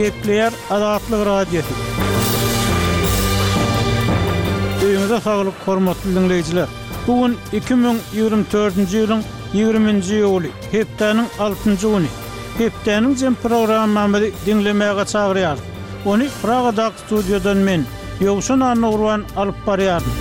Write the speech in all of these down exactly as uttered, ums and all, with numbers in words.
Gepleýär Azatlyk Radiosy. Öýüňize saglyk, hormatly diňleýjiler! Bu gün iki müň ýigrimi dördünji ýylyň ýigriminji iýuly, hepdäniň altynjy güni. Hepdäniň jem programmamyzy diňlemäge çagyrýarys. Ony Pragadaky studiýadan men, Ýowşan Annagurban alyp barýaryn.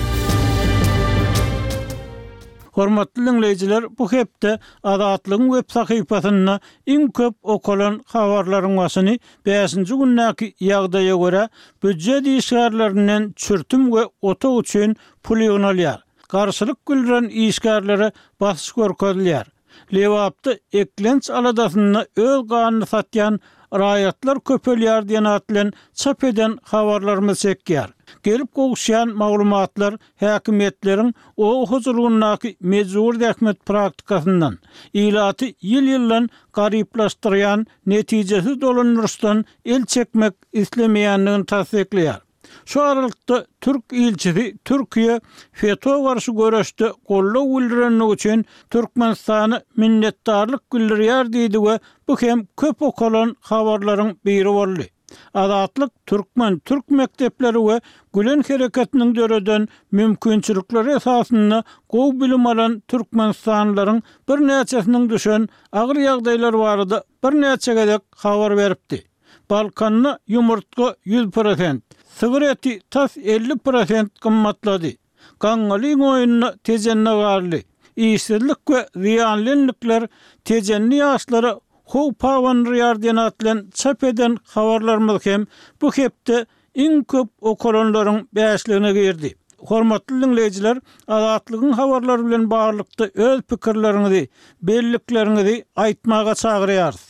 Hormatly diňleýjiler, bu hepde Azatlygyň web sahypasynda iň köp okalan habarlaryň başyny bäşinji gündäki ýagdaýa görä, býujet işgärlerinden çürtüm we otag üçin pul ýygnalýar. Garşylyk bildiren işgärlere basyş görkezilýär. Lebapda eklenç aladasynda öz ganyny satýan raýatlar köpelýär diýen at bilen çap eden habarlarymyz çekýär. Gelip gowuşýan maglumatlar häkimiýetleriň oba hojalygyndaky mejbury zähmet praktikasyndan, ilaty ýyl-ýyldan garyplaşdyrýan netijesiz dolandyryşdan el çekmek islemeýändigini tassyklaýar. Şu aralykda, türk ilçisi Türkiýe FETÖ garşy göreşde goldaw bildirenligi üçin Türkmenistana minnetdarlyk bildirýär diýdi we bu hem köp okalan habarlaryň biri boldy. Azatlyk türkmen, türk mekdepleri we Gülen hereketiniň döreden mümkinçilikleri esasynda gowy bilim alan türkmenistanlylaryň birnäçesiniň düşen agyr ýagdaýlary barada birnäçe gezek habar beripdi. Balkanda ýumurtga ýüz prosent, sygyr eti tas elli prosent gymmatlady. Gaňňalyň oýunda Tejende galdy. Işsizlik we zyýanly endikler tejenli ýaşlara howp abandyrýar diýen at bilen çap eden habarlarymyz hem bu hepde iň köp okalanlaryň bäşligine girdi. Hormatly diňleýjiler, Azatlygyň habarlary bilen baglylykda öz pikirleriňizi, bellikleriňizi aýtmaga çagyrýarys.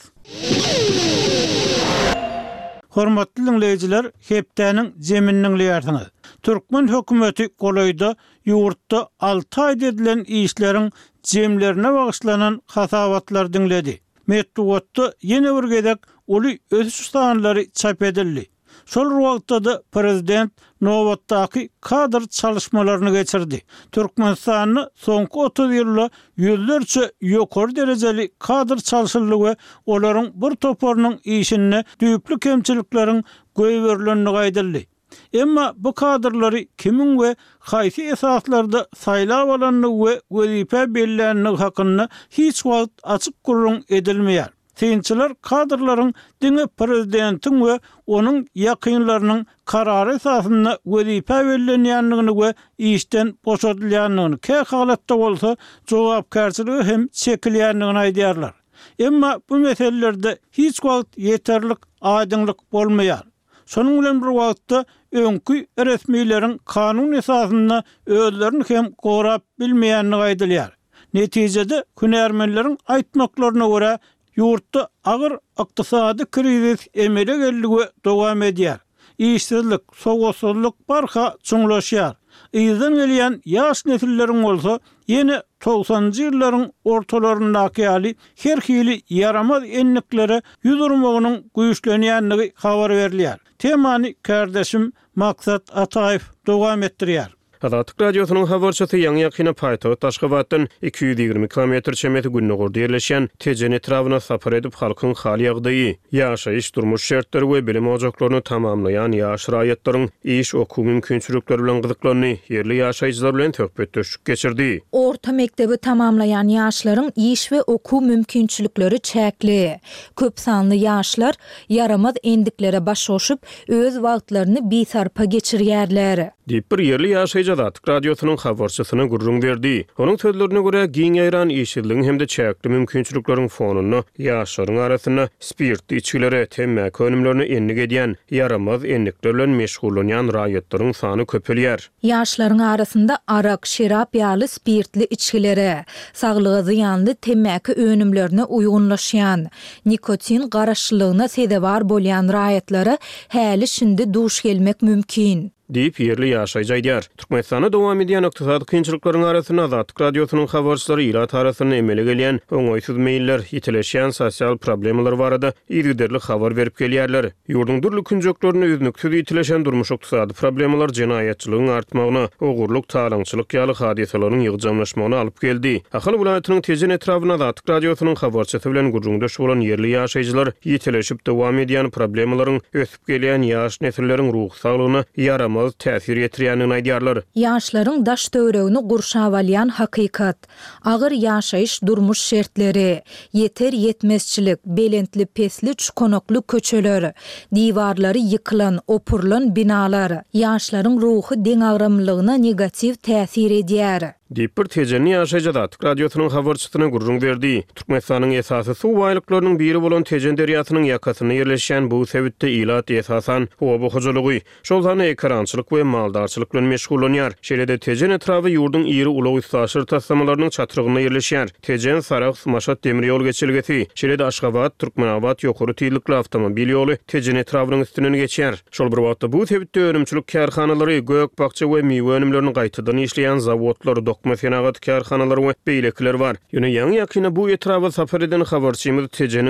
Hormatly diňleýjiler, hepdäniň jemini diňleýärsiňiz. Türkmen hökümeti golaýda ýurtda alty aýda edilen işleriň jemlerine bagyşlanan hasabatlary diňledi. Metbugatda ýene bir gezek uly ösüş sanlary çap edildi. Şol bir wagtda-da prezident nobatdaky kadr çalyşmalaryny geçirdi. Türkmenistanda soňky otuz ýylda ýüzlerçe ýokary derejeli kadr çalşyldy we olaryň bir toparynyň işinde düýpli kemçilikleriň goýberilendigi aýdyldy. Emma bu kadrlary kimiň we haýsy esaslarda saýlap alandygy we wezipä belländigi hakynda hiç wagt açyk gürrüň edilmeýär. Synçylar kadrlaryň diňe prezidentiň we onuň ýakynlarynyň karary esasynda wezipä bellenýändigini we işden boşadylýandygyny, kähalatda bolsa jogapkärçilige hem çekilýändigini aýdýarlar. Emma bu meselelerde hiç wagt ýeterlik aýdyňlyk bolmaýar. Şonuň bilen bir wagtda, öňki resmileriň kanun esasynda özlerini hem gorap bilmeýändigi aýdylýar. Netijede, hünärmenleriň aýtmaklaryna görä, ýurtda agyr ykdysady krizis emele geldi we dowam edýär. Işsizlik, sowatsyzlyk barha çuňlaşýar. Yzdan gelýän ýaş nesilleriň bolsa ýene togsanynjy ýyllaryň ortalaryndaky ýaly her hili ýaramaz endiklere ýüz urmagynyň güýçlenýändigi habar berilýär. Temany kärdeşim Maksat Ataýew dowam etdirýär. Azatlyk Radiosynyň habarçysy ýaňy-ýakynda paýtagt Aşgabatdan iki ýüz ýigrimi kilometr çemesi gündogarda ýerleşýän Tejen etrabyna sapar edip, halkyň hal-ýagdaýy, ýaşaýyş-durmuş şertleri we bilim ojaklaryny tamamlaýan ýaş raýatlaryň iş, okuw mümkinçilikleri bilen gyzyklandy, ýerli ýaşaýjylar bilen söhbetdeşlik geçirdi. Orta mekdebi tamamlaýan ýaşlaryň iş we okuw mümkinçilikleri çäkli. Köp sanly ýaşlar ýaramaz endiklere baş goşup, öz wagtlaryny bisarpa geçirýärler. Diýip, bir ýerli ýaşaýjy Azatlyk Radiosynyň habarçysyna gürrüň berdi. Onuň sözlerine görä, giň ýaýran işsizligiň hem-de çäkli mümkinçilikleriň fonunda ýaşlaryň arasynda spirtli içgilere, temmäki önümlerine endik edýän, ýaramaz endikler bilen meşgullanýan raýatlaryň sany köpelýär. Ýaşlaryň arasynda arak, şerap ýaly spirtli içgilere, saglyga zyýanly temmäki önümlerine uýgunlaşýan, nikotin garaşlylygyna sezewar bolýan raýatlara häli-şindi duş gelmek mümkin. Diýip, ýerli ýaşaýjy aýdýar. Türkmenistanda dowam edýän ykdysady kynçylyklaryň arasynda Azatlyk Radiosynyň habarçylary ilat arasynda emele gelýän oňaýsyz meýiller, ýitileşýän sosial problemalar barada yzygiderli habar berip gelýärler. Ýurduň dürli künjeklerinde üznüksiz ýitileşen durmuş-ykdysady problemalar jenaýatçylygyň artmagyna, ogurlyk, talaňçylyk ýaly hadysalaryň ýygjamlaşmagyna alyp geldi. Ahal welaýatynyň Tejen etrabynda Azatlyk Radiosynyň habarçysy bilen gürrüňdeş bolan ýerli ýaşaýjylar ýitileşip dowam edýän problemalaryň ösüp gelýän ýaş nesilleriň ruhy saglygyna ýaramaz täsir ýetirýändigini aýdýarlar. Ýaşlaryň daş-töweregini gurşap alýan hakykat, agyr ýaşaýyş-durmuş şertleri, ýeter-ýetmezçilik, belentli-pesli çukanakly köçeler, diwarlary ýykylan, opurylan binalar, ýaşlaryň ruhy deňagramlylygyna negatiw täsir edýär. Diýip, bir tejenli ýaşaýjy Azatlyk Radiosynyň habarçysyna gürrüň berdi. Türkmenistanyň esasy suw baýlyklarynyň biri bolan Tejen derýasynyň ýakasynda ýerleşýän bu sebitde ilat esasan oba hojalygy, şol sanda ekerançylyk we maldarçylyk bilen meşgullanýar. Şeýle-de Tejen etraby ýurduň iri ulag-üstaşyr taslamalarynyň çatrygynda ýerleşýär. Tejen, Sarahs, Maşat demir ýol geçelgesi, şeýle-de Aşgabat, Türkmenabat ýokary tizlikli awtomobil ýoly Tejen etrabynyň üstünden geçýär. Şol bir wagtda, bu sebitde önümçilik kärhanalary, gök-bakja we miwe önümlerini gaýtadan işleýän zawodlar, dokma senagaty kärhanalary we beýlekiler bar. Ýöne ýaňy-ýakynda bu etraba sapar eden habarçymyz Tejeniň